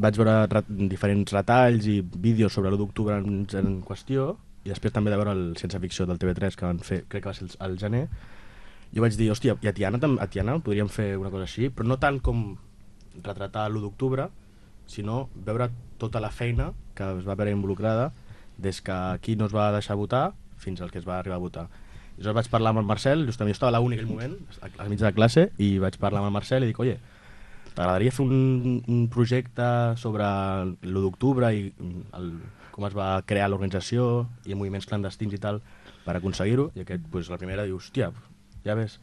vaig veure diferents retalls i vídeos sobre l'1 d'octubre en qüestió, i després també de veure el Ciència Ficció del TV3 que van fer, crec que va ser al gener. Jo vaig dir, hòstia, i a Tiana podríem fer una cosa així, però no tant com retratar l'1 d'octubre, sinó veure tota la feina que es va veure involucrada des que aquí no es va deixar votar fins al que es va arribar a votar. I llavors vaig parlar amb el Marcel, justament jo estava a l'únic aquell moment, al mig de la classe, i vaig parlar amb el Marcel i dic, oye, t'agradaria fer un projecte sobre l'1 d'octubre i com es va crear l'organització i moviments clandestins i tal per aconseguir-ho? I aquest, pues, la primera diu, hòstia, ja ves,